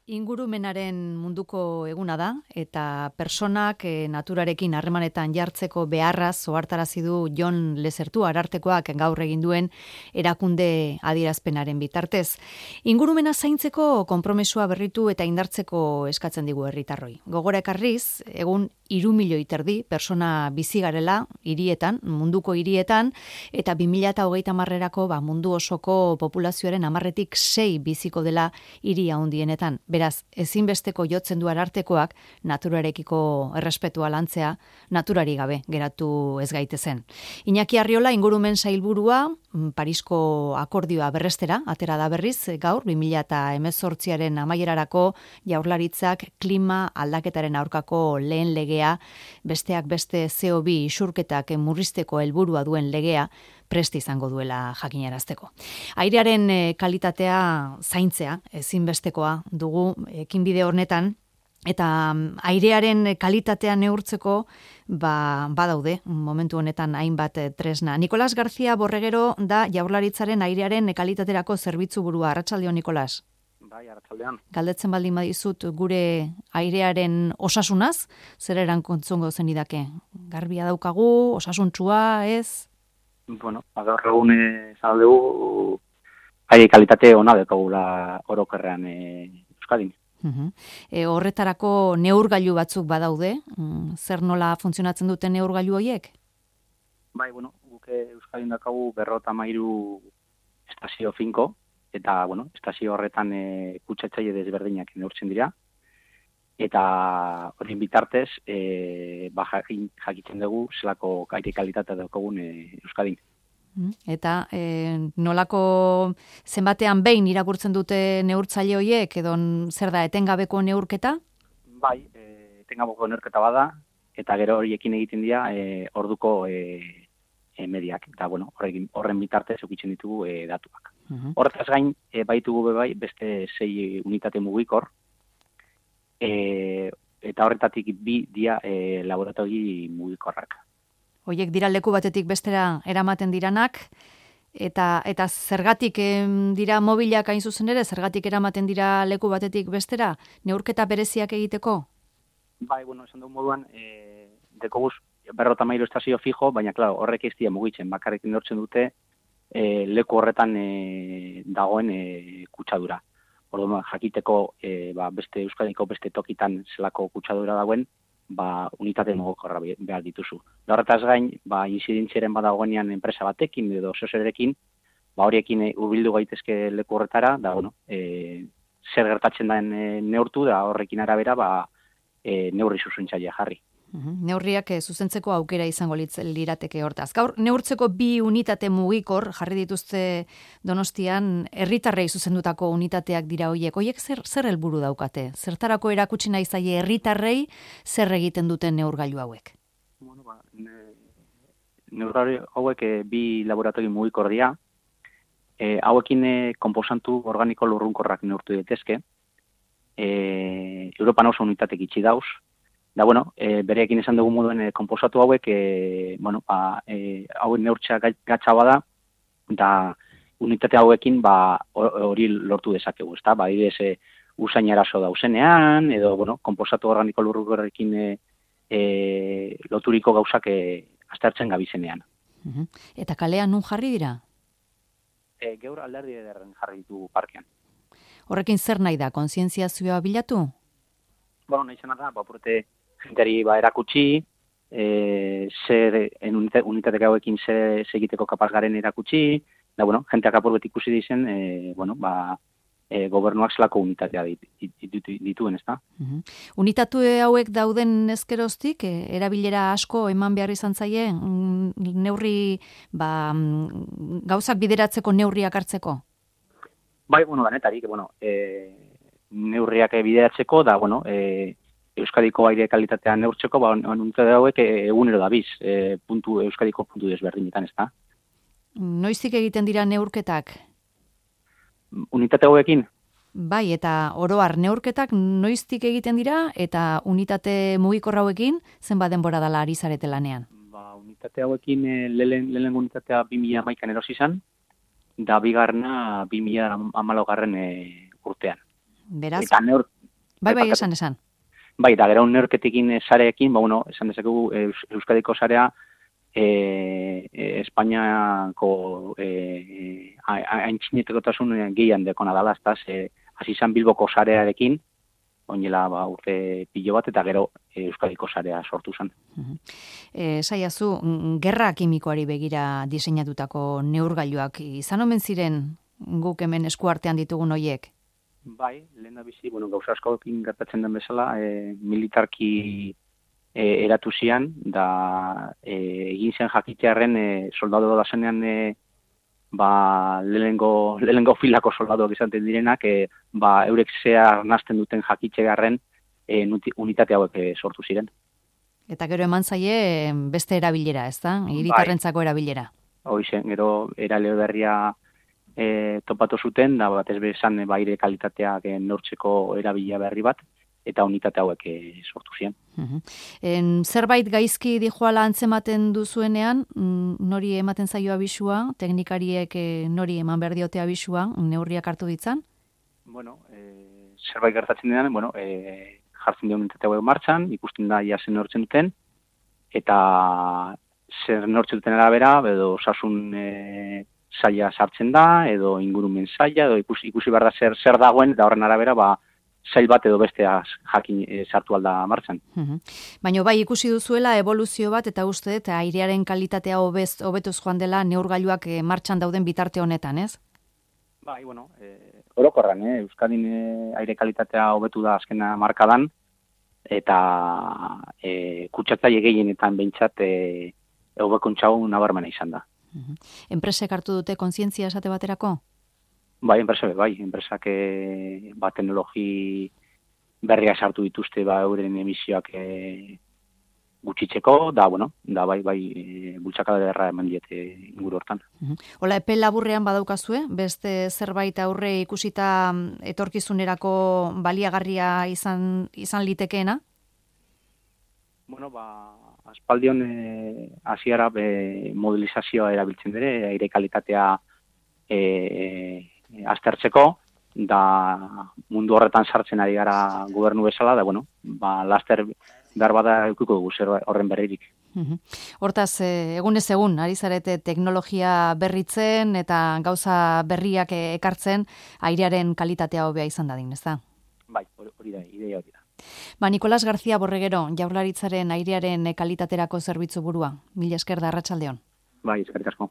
Ingurumenaren munduko eguna da eta personak naturarekin harremanetan jartzeko beharraz ohartarazi du Jon Lezertu Arartekoak gaur egin duen erakunde adierazpenaren bitartez. Ingurumena zaintzeko konpromesua berritu eta indartzeko eskatzen digu herritarroi. Gogora ekarriz, egun 3 milioi terdi persona bizi garela hirietan, munduko hirietan, eta 2030erako mundu osoko populazioaren 10-6 biziko dela hiri handienetan. Beraz, ezinbesteko jotzen du Arartekoak naturarekiko errespetua lantzea, naturari gabe geratu ez gaitezen. Iñaki Arriola ingurumen sailburua Parisko akordioa berrestera atera da berriz gaur 2018aren amaierarako Jaurlaritzak klima aldaketaren aurkako lehen legea, besteak beste CO2 isurketak murrizteko helburua duen legea prest izango duela jakinarazteko. Airearen kalitatea zaintzea ezinbestekoa dugu ekinbide honetan, eta airearen kalitatea neurtzeko badaude momentu honetan hainbat tresna. Nicolás García Borregero da Jaurlaritzaren airearen kalitaterako zerbitzu burua. Arratsaldeon, Nicolás. Bai, arratsaldean. Galdetzen baldin badizut gure airearen osasunaz, zer erantzungo zenidake? Garbia daukagu, osasuntsua, ez? Bueno, gaur egun esan dugu aire kalitate ona daukagula orokorrean Euskadin. Horretarako neurgailu batzuk badaude, zer nola funtzionatzen duten neurgailu horiek? Bai, bueno, guk Euskadin daukagu 53 estazio finko, eta, estazio horretan kutsatzaile desberdinak neurtzen dira, eta horien bitartez, jakiten dugu zelako aire kalitatea daukagun Euskadin. Eta nolako zenbatean behin irakurtzen dute neurtzaile horiek, edo zer da, etengabeko neurketa? Bai, etengabeko neurketa bada, eta gero horiekin egiten dira orduko mediak, eta horren bitartez eukitzen ditugu datuak. Horretaz gain, baitugu beste 6 unitate mugikor, eta horretatik 2 dira laboratori mugikorrak. Hoiek dira leku batetik bestera eramaten diranak, eta zergatik dira mobilak hain zuzen ere, zergatik eramaten dira leku batetik bestera, neurketa bereziak egiteko? Bai, esan du moduan, dekoguz 53 estazio fijo, baina, horrek ez dira mugitzen, bakarrik neurtzen dute leku horretan dagoen kutsadura. Orduan, jakiteko beste Euskadiko beste tokitan zelako kutsadura dagoen, unitate mugikorra behar dituzu. Horretaz gain, inzidentziaren badagoenean enpresa batekin edo zozerekin, horiekin hurbildu gaitezke leku horretara, zer gertatzen den neurtu, da horrekin arabera neurri zuzentzaile jarri. Neurriak zuzentzeko aukera izango lirateke hortaz. Gaur, neurtzeko 2 unitate mugikor jarri dituzte Donostian, herritarrei zuzendutako unitateak dira hoiek. Hoiek zer helburu daukate? Zertarako erakutsi nahi zaie herritarrei zer egiten duten neurgailu hauek? Neurgailu hauek 2 laboratori mugikor dira. Hauekin konposantu organiko lurrunkorrak neurtu daitezke. Europan oso unitatek itxi dauz. Da, bereekin esan dugu moduen konposatu hauek, hauen neurtzea gatsa bada, eta unitate hauekin hori lortu dezakegu, ezta? Adibidez, usain arazo dauzenean, edo, konposatu organiko lurrunkorrekin loturiko gauzak aztertzen gabizenean. Eta kalean nun jarri dira? Geur alderdi ederren jarri ditu parkean. Horrekin zer nahi da, kontzientziazioa bilatu? Nahi zena da, apurte jenteri erakutsi, unitate hauekin zer egiteko kapaz garen erakutsi, da, jenteak apurret ikusi dizen, gobernuak zelako unitatea dituen, ez da? Unitatu hauek dauden ezkeroztik, erabilera asko eman behar izan zaie, neurri, gauzak bideratzeko neurriak hartzeko? Bai, danetarik, neurriak bideratzeko, da, Euskadiko aire kalitatea neurtzeko, unitate hauek egunero dabiz, Euskadiko puntu desberdinetan, ez da? Noiztik egiten dira neurketak? Unitate hauekin? Bai, eta oroar neurketak noiztik egiten dira, eta unitate mugikor hauekin zenbat denbora dela ari zarete lanean? Unitate hauekin lehen unitatea 2011an erosi izan, da bigarrena 2014 urtean. Beraz? Eta Bai, esan. Bai, da gero neurketekin sareekin, bueno, esan dezakegu Euskadiko sarea Espainiako aintzinetekotasun gehian dekona dala, hasi izan Bilboko sarearekin, oinela urte pilo bat, eta gero Euskadiko sarea sortu zen. Saiazu, gerra kimikoari begira diseinatutako neurgailuak izan omen ziren guk hemen eskuartean ditugun hoiek? Bai, lehen da bizi, gauza askoekin gertatzen den bezala, militarki eratu zian, da egin zen jakitearen soldado da zenean lehenengo filako soldadoak izaten direnak, eurek zehar nazten duten jakitzegarren unitate hauek sortu ziren. Eta gero eman zaie beste erabilera, ez da? Hiritarrentzako erabilera. Hoizen, gero erale berria topatu zuten, da batez bezan aire kalitateak neurtzeko erabilia berri bat, eta unitate hauek sortu ziren. Zerbait gaizki dijoala antzematen duzuenean, nori ematen zaio abisua, teknikariek nori eman behar diote abisua, neurriak hartu ditzan? Zerbait gertatzen denean, jartzen dio unitate hauek martxan, ikusten da zen neurtzen duten, eta zer neurtzen duten arabera, edo osasun saia sartzen da, edo ingurumen saia, edo ikusi behar da zer dagoen, da horren arabera, sail bat edo bestea jakin sartu alda martxan. Baina bai ikusi duzuela evoluzio bat, eta uste, eta airearen kalitatea hobetuz joan dela neurgailuak martxan dauden bitarte honetan, ez? Bai, orokorran, Euskadin aire kalitatea hobetu da azkena markadan, eta kutsatzaile gehienetan behintzat hobekuntza nabarmena izan da. Enpresek hartu dute kontzientzia esate baterako? Bai, enpresak teknologi berria sartu dituzte euren emisioak gutxitzeko, da bultzakada derra eman diete inguru hortan. Hola, epe laburrean badaukazue, beste zerbait aurre ikusita etorkizunerako baliagarria izan litekeena? Aspaldion hasiera modelizazioa erabiltzen dira, aire kalitatea aztertzeko, da mundu horretan sartzen ari gara gobernu bezala, da laster behar bada eukiko dugu zer horren berririk. Hortaz, egunez egun, ari zarete teknologia berritzen eta gauza berriak ekartzen airearen kalitatea hobea izan dadin, ez da? Bai, hori da, ideia hori da. Nicolás García Borreguero, Jaurlaritzaren airearen kalitaterako zerbitzu burua. Mila esker da, arratsaldeon. Bai, eskerrik asko.